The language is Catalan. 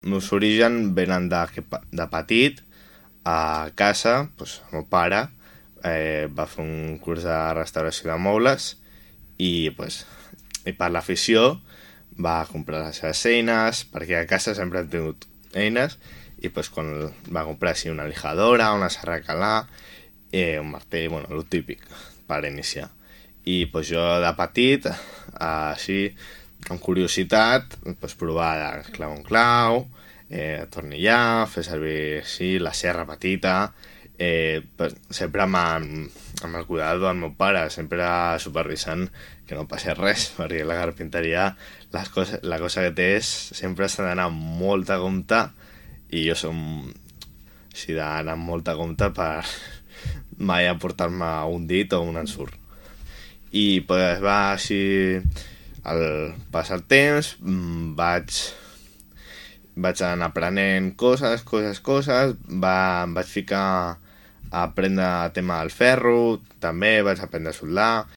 meus orígens venen de petit. A casa, doncs, el meu pare va fer un curs de restauració de mobles i, doncs, i per l'afició va comprar les seves eines, perquè a casa sempre hem tingut eines, i doncs, quan va comprar així una lijadora, una serra de calar, un martell, bueno, el típic per iniciar. I doncs, jo de petit, així, amb curiositat, doncs, provar de clau en clau, tornillar, fer servir així, la serra petita, pues, sempre amb el cuidado del meu pare, sempre supervisant que no passés res, perquè la carpinteria la cosa que té és sempre s'ha d'anar amb molta compte, i jo som així d'anar amb molta compte per mai aportar-me un dit o un ensurt. I pues, va així al passar el temps, vaig anar aprenent coses, em vaig ficar a aprendre el tema del ferro, també vaig aprendre a soldar,